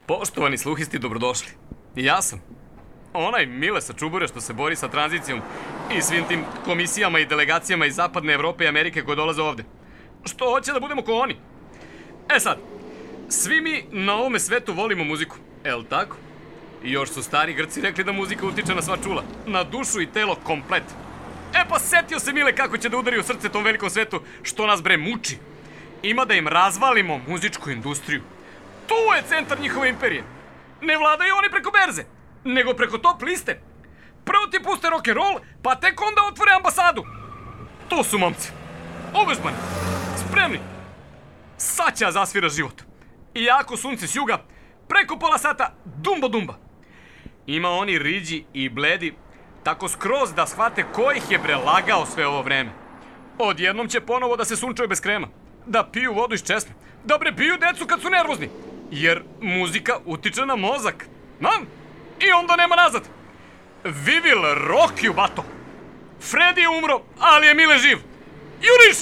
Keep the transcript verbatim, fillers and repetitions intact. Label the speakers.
Speaker 1: Poštovani sluhisti, dobrodošli. Ja sam onaj Mile sa Čubure što se bori sa tranzicijom i svim tim komisijama i delegacijama iz Zapadne Evrope i Amerike koje dolaze ovde. Što hoće da budemo ko oni. E sad, svi mi na ovome svetu volimo muziku, el tako? I još su stari Grci rekli da muzika utiče na sva čula, na dušu i telo komplet. E pa setio se Mile kako će da udari u srce tom velikom svetu što nas bre muči. Ima da im razvalimo muzičku industriju. Tu je centar njihove imperije. Ne vladaju oni preko berze, nego preko top liste. Prvo ti puste rock'n'roll, pa tek onda otvore ambasadu. To su momci. Ovežbani. Spremni. Sad će zasvira život. Iako sunce s juga, preko pola sata dumba dumba. Ima oni riđi i bledi, tako skroz da shvate ko ih je prelagao sve ovo vreme. Odjednom će ponovo da se sunčaju bez krema, da piju vodu iz česme, da bre piju decu kad su nervozni. Jer muzika utiče na mozak. Nam? I onda nema nazad. Vi will rock you, bato. Freddy je umro, ali je Mile živ. Juriš!